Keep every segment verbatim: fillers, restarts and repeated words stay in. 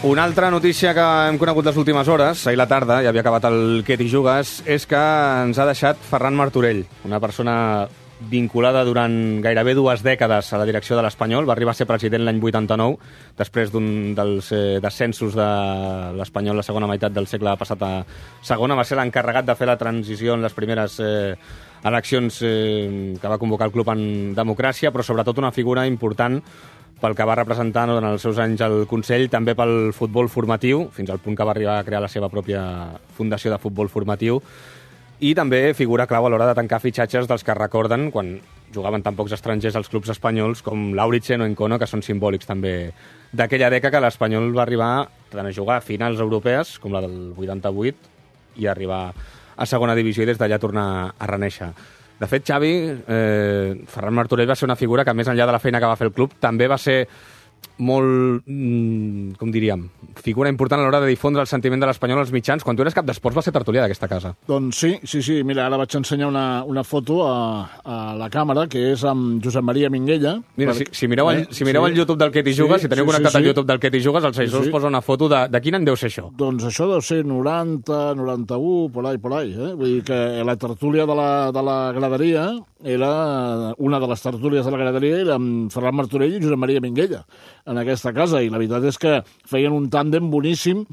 Una altra notícia que hem conegut les últimes hores, ahir la tarda, ja havia acabat el Què t'hi jugues, és que ens ha deixat Ferran Martorell, una persona vinculada durant gairebé dues dècades a la direcció de l'Espanyol. Va arribar a ser president l'any vuitanta-nou, després d'un dels eh, descensos de l'Espanyol la segona meitat del segle passat a segona. Va ser l'encarregat de fer la transició en les primeres eh, eleccions eh, que va convocar el club en democràcia, però sobretot una figura important pel que va representar durant els seus anys al Consell, també pel futbol formatiu, fins al punt que va arribar a crear la seva pròpia fundació de futbol formatiu, i també figura clau a l'hora de tancar fitxatges dels que recorden quan jugaven tan pocs estrangers als clubs espanyols com Lauritzen o Encono, que són simbòlics també d'aquella dècada, que l'Espanyol va arribar tant a jugar a finals europees, com la del vuitanta-vuit, i arribar a segona divisió i des d'allà tornar a reneixer. De fet, Xavi, eh, Ferran Martorell va ser una figura que, més enllà de la feina que va fer el club, també va ser molt, mm, com diríem, figura important a l'hora de difondre el sentiment de l'Espanyol als mitjans. Quan tu eres cap d'esports va ser tertulià d'aquesta casa. Doncs sí, sí, sí. Mira, ara vaig ensenyar una, una foto a, a la càmera, que és amb Josep Maria Minguella. Mira, per... si, si mireu, el, eh? si mireu sí. el YouTube del Què t'hi jugues, si teniu sí, connectat sí, sí. al YouTube del Què t'hi jugues, el seguidor sí, sí. us posa una foto de, de quin any deu ser això? Doncs això deu ser noranta, noranta-u, por ahí, por ahí. Eh? Vull dir que la tertúlia de la, de la graderia era una de les tertúlies de la graderia era amb Ferran Martorell i Josep Maria Minguella en aquesta casa, i la veritat és que feien un tàndem boníssim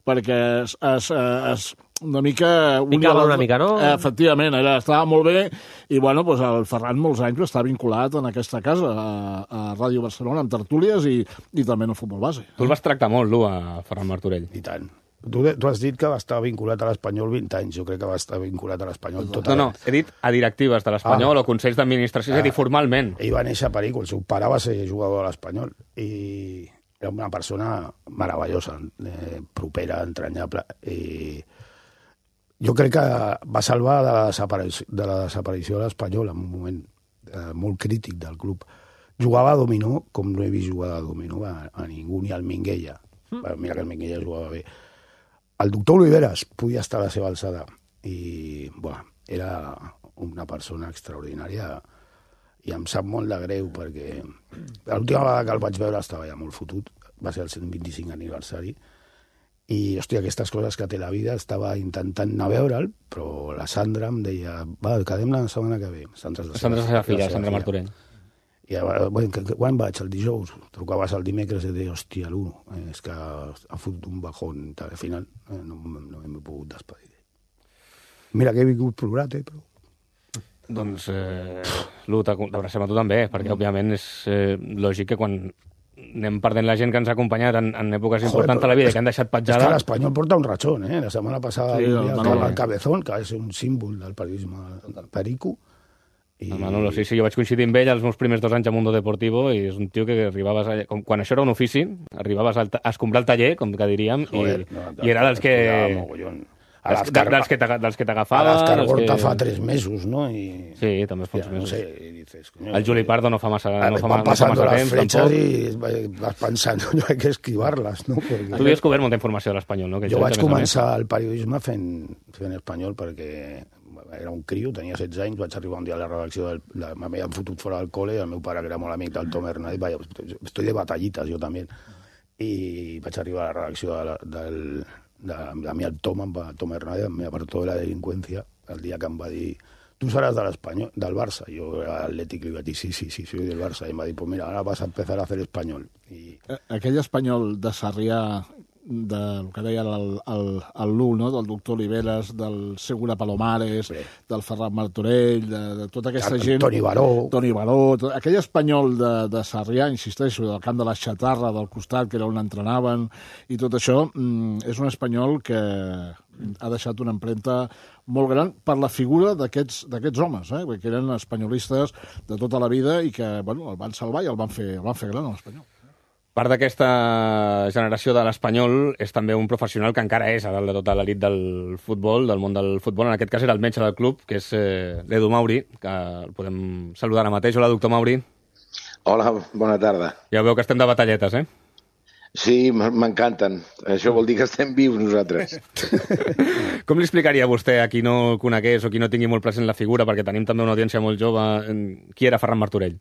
perquè es, es, es una mica... Picava una mica, no? Efectivament, era, estava molt bé, i bueno, doncs el Ferran molts anys està vinculat en aquesta casa, a, a Ràdio Barcelona, amb tertúlies i, i també en el futbol base. Tu el vas tractar molt, tu, a Ferran Martorell. I tant. Tu, tu has dit que va estar vinculat a l'Espanyol vint anys. Jo crec que va estar vinculat a l'Espanyol tota No, no, he dit a directives de l'Espanyol ah. o consells d'administració, ah. és a dir, formalment. Ell va néixer a Perico, el seu pare va ser jugador de l'Espanyol, i era una persona meravellosa, eh, propera, entranyable, i jo crec que va salvar de la desaparició de la desaparició de l'Espanyol en un moment eh, molt crític del club. Jugava a dominó com no he vist jugar a dominó a, a ningú, ni al Minguella. Mm. Mira que el Minguella jugava bé. El doctor Oliveras podia estar a la seva alçada i, bueno, era una persona extraordinària i em sap molt de greu perquè l'última vegada que el vaig veure estava ja molt fotut, va ser el cent vint-i-cinc aniversari i, hòstia, aquestes coses que té la vida, estava intentant anar a veure'l, però la Sandra em deia, va, quedem la setmana que ve. Sandra és la seva filla, la Sandra Martorell. I bueno, quan vaig? El dijous? Trucaves el dimecres i deia, hòstia, l'u, és que ha fotut un bajón. Al final eh, no, no hem pogut despedir. Mira que he vingut plorat, eh, però... Doncs, eh, l'u, t'abracem a tu també, perquè, òbviament, és eh, lògic que quan anem perdent la gent que ens ha acompanyat en, en èpoques importants de la vida i que han deixat petjada... És que l'Espanyol porta un ratxón, eh? La setmana passada sí, el, el, el Cabezón, que és un símbol del periodisme del Perico. I... El Manolo, sí, sí, jo vaig coincidir amb ell els meus primers dos anys a Mundo Deportivo i és un tio que arribaves, a, com, quan això era un ofici, arribaves a, a escombrar el taller, com que diríem, Joder, i, no, i era dels que... A dels, dels que t'agafaves... A l'Escargorta que... fa tres mesos, no? I... Sí, també fa uns ja, mesos. No sé, i dices, coño, el Juli Pardo no fa massa, no fa, van no fa massa temps, tampoc. I vas pensant, no hay que esquivar-les, no? Perquè... Tu havies cobert molta informació de l'Espanyol, no? Que jo vaig començar el periodisme fent, fent espanyol perquè era un criu, tenia setze anys, vaig arribar un dia a la redacció, del, la, m'havien fotut fora del col·le, el meu pare, que era molt amic del Tom Hernández, vaja, estoy de batallitas, jo també, i vaig arribar a la redacció de la, del, de, de mi el Tom, Tom Hernández, me apartó de la delinqüència, el dia que em va dir, tu seràs de l'Espanyol, del Barça, jo era atlètic, li vaig dir, sí, sí, sí, soy del Barça, i em va dir, pues mira, ara vas a empezar a hacer espanyol. I... Aquell espanyol de Sarrià, del que deia el, el, el Lu, no? Del doctor Oliveras, del Segura Palomares, sí. Del Ferran Martorell, de, de tota aquesta gent... Toni Baró. Toni Baró. Tot, aquell espanyol de, de Sarrià, insisteixo, del camp de la Xatarra, del costat, que era on entrenaven, i tot això, mm, és un espanyol que ha deixat una empremta molt gran per la figura d'aquests homes, eh? Que eren espanyolistes de tota la vida i que, bueno, el van salvar i el van fer, el van fer gran, l'espanyol. Part d'aquesta generació de l'Espanyol és també un professional que encara és a dalt de tota l'elit del futbol, del món del futbol. En aquest cas era el metge del club, que és eh, l'Edu Mauri, que el podem saludar ara mateix. Hola, doctor Mauri. Hola, bona tarda. Ja veu que estem de batalletes, eh? Sí, m'encanten. Això vol dir que estem vius nosaltres. Com li explicaria a vostè, a qui no el conegués o qui no tingui molt present la figura, perquè tenim també una audiència molt jove, qui era Ferran Martorell?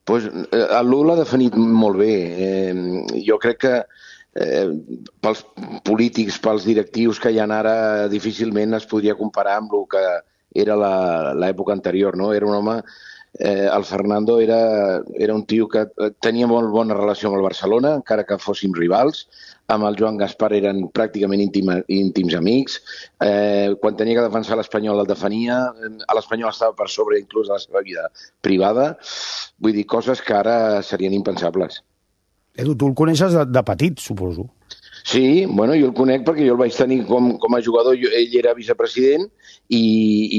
Pues, el Lu l'ha definit molt bé. Eh, jo crec que eh, pels polítics, pels directius que hi ha ara, difícilment es podria comparar amb el que era l'època anterior, no? Era un home... Eh, el Fernando era, era un tio que tenia molt bona relació amb el Barcelona, encara que fóssim rivals. Amb el Joan Gaspar eren pràcticament íntima, íntims amics. Eh, quan tenia que defensar l'Espanyol el defenia. L'Espanyol estava per sobre inclús de la seva vida privada. Vull dir, coses que ara serien impensables. Edu, tu el coneixes de, de petit, suposo. Sí, bueno, jo el conec perquè jo el vaig tenir com, com a jugador, jo, ell era vicepresident i,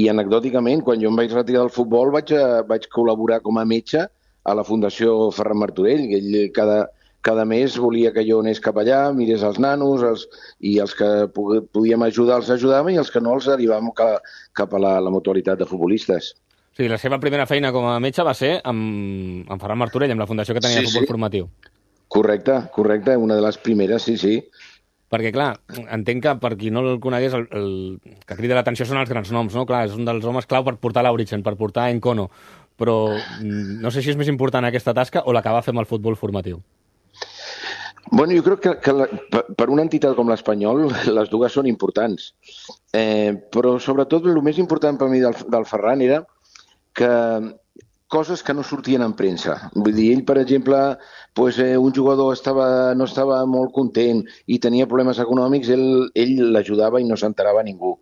i anecdòticament, quan jo em vaig retirar del futbol vaig, a, vaig col·laborar com a metge a la Fundació Ferran Martorell. Ell cada, cada mes volia que jo anés cap allà, mirés els nanos, els, i els que podíem ajudar els ajudàvem i els que no els derivàvem cap, cap a la, la mutualitat de futbolistes. Sí, la seva primera feina com a metge va ser amb, amb Ferran Martorell, amb la fundació que tenia sí, de futbol sí. formatiu. Correcte, correcte, una de les primeres, sí, sí. Perquè, clar, entenc que per qui no el conegués, el, el que crida l'atenció són els grans noms, no? Clar, és un dels homes clau per portar l'Auritzen, per portar Encono, però no sé si és més important aquesta tasca o la que va fer amb el futbol formatiu. Bueno, jo crec que, que la, per una entitat com l'Espanyol les dues són importants, eh, però sobretot el més important per mi del, del Ferran era que coses que no sortien en premsa. Vull dir, ell, per exemple, pues, eh, un jugador estava, no estava molt content i tenia problemes econòmics, ell, ell l'ajudava i no s'enterava ningú.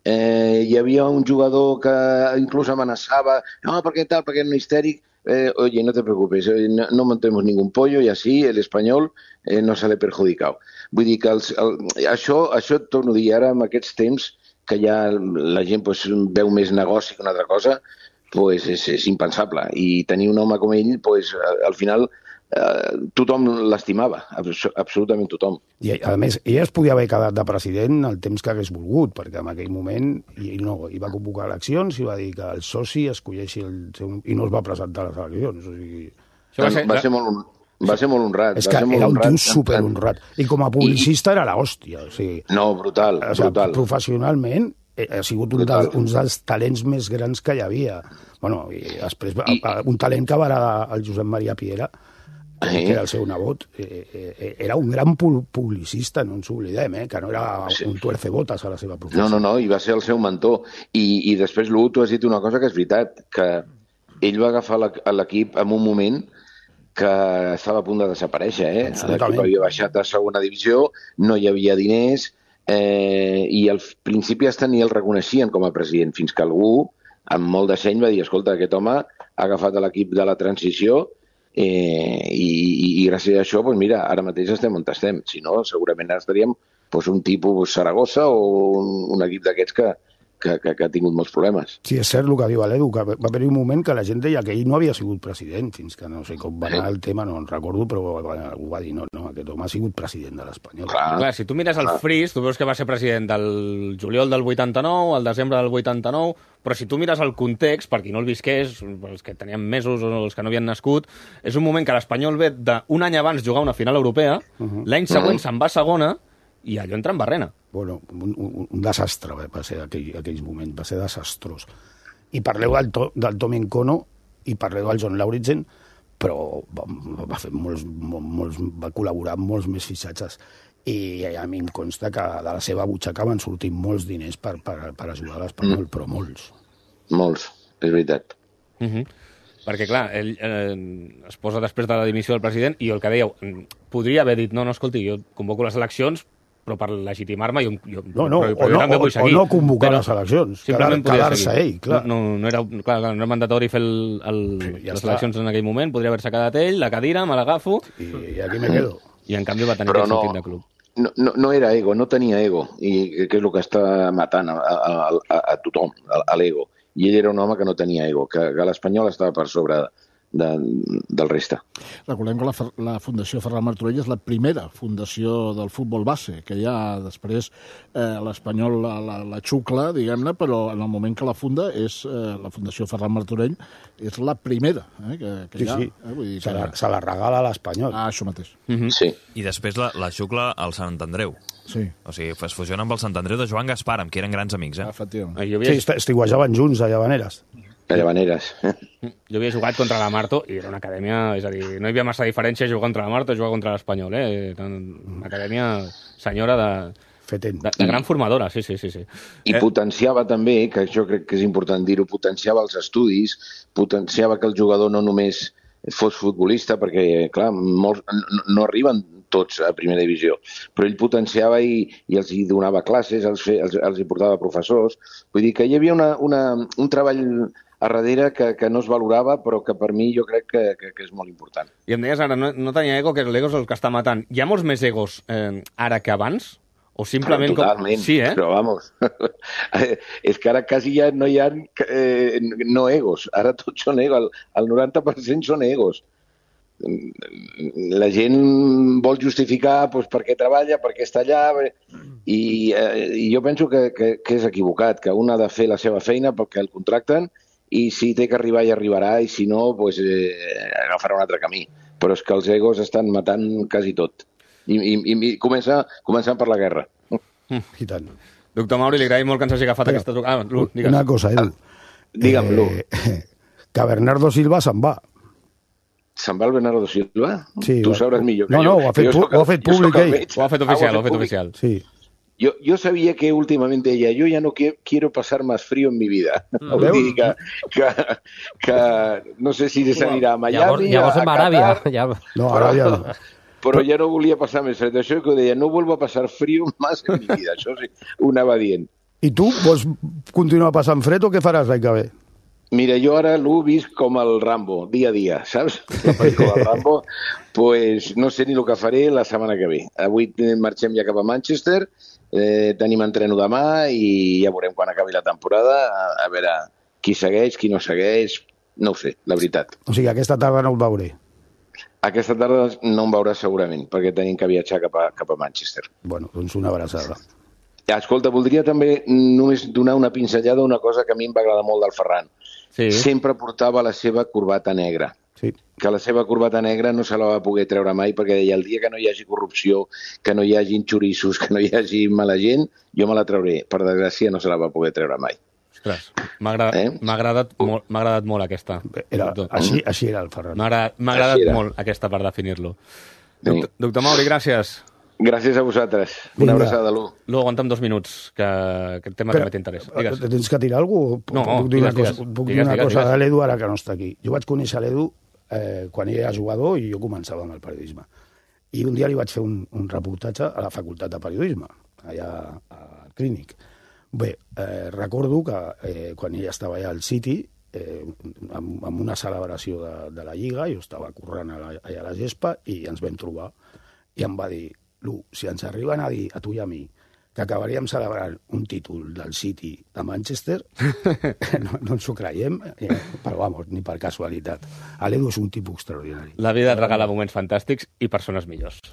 Eh, hi havia un jugador que inclús amenaçava, no, perquè tal, perquè era un histèric, eh, oye, no te preocupes, no, no montemos ningún pollo y así el español eh, no se le perjudicado. Vull dir que els, el, això, això et torno a dir ara, en aquests temps, que ja la gent pues, veu més negoci que una altra cosa, pues és, és impensable. I tenir un home com ell, pues, al final, eh, tothom l'estimava, absolutament tothom. I, a més, ell es podia haver quedat de president el temps que hagués volgut, perquè en aquell moment ell no, ell va convocar eleccions i va dir que el soci escolleixi el seu... i no es va presentar a les eleccions. O sigui... va, ser, va, ser molt, va ser molt honrat. És que era un tio superhonrat. I com a publicista I... era l'hòstia. O sigui, no, brutal, o sigui, brutal. Professionalment ha sigut un, de, un dels talents més grans que hi havia. Bueno, i després I... un talent que va heredar el Josep Maria Piera, que sí. era el seu nebot, eh, era un gran publicista, no ens oblidem, eh, que no era sí. un tuercebotes a la seva professió. No, no, no, i va ser el seu mentor. I, i després, Lu, tu has dit una cosa que és veritat, que ell va agafar l'equip en un moment que estava a punt de desaparèixer. Eh? L'equip havia baixat a segona divisió, no hi havia diners, eh, i al principi hasta ni el reconeixien com a president, fins que algú, amb molt de seny, va dir, escolta, aquest home ha agafat l'equip de la transició eh, i, i, i gràcies a això, doncs mira, ara mateix estem on estem. Si no, segurament ara estaríem doncs, un tipus Saragossa o un, un equip d'aquests que, que, que, que ha tingut molts problemes. Sí, és cert el que diu l'Edu, que va haver un moment que la gent deia que ell no havia sigut president, fins que no sé com va anar el tema, no en recordo, però algú va dir, no, no, aquest home ha sigut president de l'Espanyol. Clar. Clar, si tu mires el Fris, tu veus que va ser president del juliol del vuitanta-nou, al desembre del vuitanta-nou, però si tu mires el context, per qui no el visqués, els que tenien mesos o els que no havien nascut, és un moment que l'Espanyol ve d'un any abans jugar una final europea, uh-huh. l'any següent uh-huh. se'n va a segona, i allò entra en barrena. Bueno, un, un, un desastre va ser aquell, aquells moments, va ser desastrós. I parleu del, to, del Tom Encono i parleu del John Lauritzen, però va, va fer molts, molts, va col·laborar amb molts més fitxatges. I a mi em consta que de la seva butxaca van sortir molts diners per, per, per ajudar a l'Espanyol, mm. però molts. Molts, és veritat. Mhm. Perquè, clar, ell eh, es posa després de la dimissió del president i el que dèieu, podria haver dit, no, no, escolti, jo convoco les eleccions, però per legitimar-me jo, jo, no, no, però, però o, jo no, també vull seguir. O no convocar però, les eleccions, quedar-se ell, clar. No, no, no, era, clar, no era mandatori fer el, el, sí, ja les està. Eleccions en aquell moment, podria haver-se quedat ell, la cadira, me l'agafo... I, I aquí me quedo. I en canvi va tenir però aquest no, sentit de club. No, no, no era ego, no tenia ego, i que és el que està matant a, a, a, a tothom, a, a l'ego. I ell era un home que no tenia ego, que, que l'Espanyol estava per sobre de, del reste. Recordem que la, la Fundació Ferran Martorell és la primera fundació del futbol base, que ja després eh, l'Espanyol la, la, la xucla, diguem-ne, però en el moment que la funda és eh, la Fundació Ferran Martorell és la primera eh, que, que sí, hi ha. Sí. Eh, vull dir se, que... la, se la regala a l'Espanyol. Ah, això mateix. Mm-hmm. Sí. I després la, la xucla al Sant Andreu. Sí. O sigui, es fusiona amb el Sant Andreu de Joan Gaspar, amb qui eren grans amics, eh? Ah, efectivament. Ah, jo havia... Sí, estiguejaven junts a Llavaneres. A Llavaneres. Jo havia jugat contra la Marto i era una acadèmia, és a dir, no hi havia massa diferència jugar contra la Marto i jugar contra l'Espanyol, eh? Una acadèmia senyora de, Fetent. de, de gran formadora, sí, sí, sí. sí. I Eh, potenciava també, que això crec que és important dir-ho, potenciava els estudis, potenciava que el jugador no només fos futbolista, perquè, clar, molts, no, no arriben tots a primera divisió, però ell potenciava i, i els hi donava classes, els, fe, els, els hi portava professors. Vull dir que hi havia una, una, un treball a darrere que, que no es valorava, però que per mi jo crec que, que, que és molt important. I em deies ara, no, no tenia ego, que l'ego és el que està matant. Hi ha molts més egos eh, ara que abans? O simplement... Totalment, Com... Sí, eh? però vamos, és que ara quasi ja no hi ha eh, no egos, ara tots són egos, el, el noranta per cent són egos. La gent vol justificar doncs, per què treballa, per què està allà, i, eh, i jo penso que, que, que és equivocat, que un ha de fer la seva feina perquè el contracten, i si té que arribar, ja arribarà, i si no, doncs, eh, agafarà un altre camí. Però és que els egos estan matant quasi tot. I, i, i comença, començant per la guerra. I tant. Doctor Mauri, li agraïm molt que ens hagi agafat Però, aquesta... Ah, Lu, digues. Una cosa, Edu. Digue'm, Lu. Eh, que Bernardo Silva se'n va. Se'n va el Bernardo Silva? Sí, tu va- sabràs millor que no, jo. no, ho ha fet Jo pu- soc ho ha el- fet jo soc públic el ell. metge. Ho ha fet Ah, oficial, ho ha fet públic. oficial. Sí. Yo, yo sabía que últimamente ella, yo ya no qui- quiero pasar más frío en mi vida. Vull veus? dir que, que, que no sé si s'anirà a Miami, Llavors, llavors a, en a Aràbia. Qatar, Ja... No, ara ja no. però ja no volia passar més fred. Això que ho deia, no vuelvo a pasar frío más en mi vida. Això sí, ho anava dient. I tu vols continuar passant fred o què faràs l'any que ve? Mira, jo ara l'ho vist com el Rambo, dia a dia, saps? La pel·lícula del Rambo. Pues no sé ni el que faré la setmana que ve. Avui marxem ja cap a Manchester, eh, tenim entreno demà i ja veurem quan acabi la temporada, a, a veure qui segueix, qui no segueix, no ho sé, la veritat. O sigui, aquesta tarda no el veuré. Aquesta tarda no em veuràs segurament, perquè tenim que viatjar cap a, cap a Manchester. Bueno, doncs una abraçada. Escolta, voldria també només donar una pinzellada a una cosa que a mi em va agradar molt del Ferran. Sí. Sempre portava la seva corbata negra. Sí. Que la seva corbata negra no se la va poder treure mai perquè deia el dia que no hi hagi corrupció, que no hi hagi xoriços, que no hi hagi mala gent, jo me la trauré. Per desgràcia no se la va poder treure mai. Ostres, m'ha agradat, Eh? m'ha agradat, molt, m'ha agradat molt aquesta. Era, Doctor. així, així era el Ferran. M'ha agradat, m'ha agradat Així era. molt aquesta per definir-lo. Sí. Doctor, doctor Mauri, gràcies. Gràcies a vosaltres. Vinga. Una abraçada, Lu. Lu, aguanta'm dos minuts, que aquest tema Però, també t'interessa. Digues. eh, Tens que tirar alguna cosa? No, puc dir digues, una cosa, digues. puc dir Digues, una digues, cosa digues. de l'Edu ara que no està aquí. Jo vaig conèixer l'Edu eh, quan ell era jugador i jo començava amb el periodisme. I un dia li vaig fer un, un reportatge a la Facultat de Periodisme, allà al Clínic. Bé, eh, recordo que eh, quan ell estava allà al City, eh, amb, amb una celebració de, de la Lliga, jo estava corrent a la, allà a la gespa i ens vam trobar i em va dir: Lu, si ens arriben a dir a tu i a mi que acabaríem celebrant un títol del City de Manchester, no, no ens ho creiem, eh, però vamos, ni per casualitat. L'Edu és un tipus extraordinari. La vida et regala moments fantàstics i persones millors.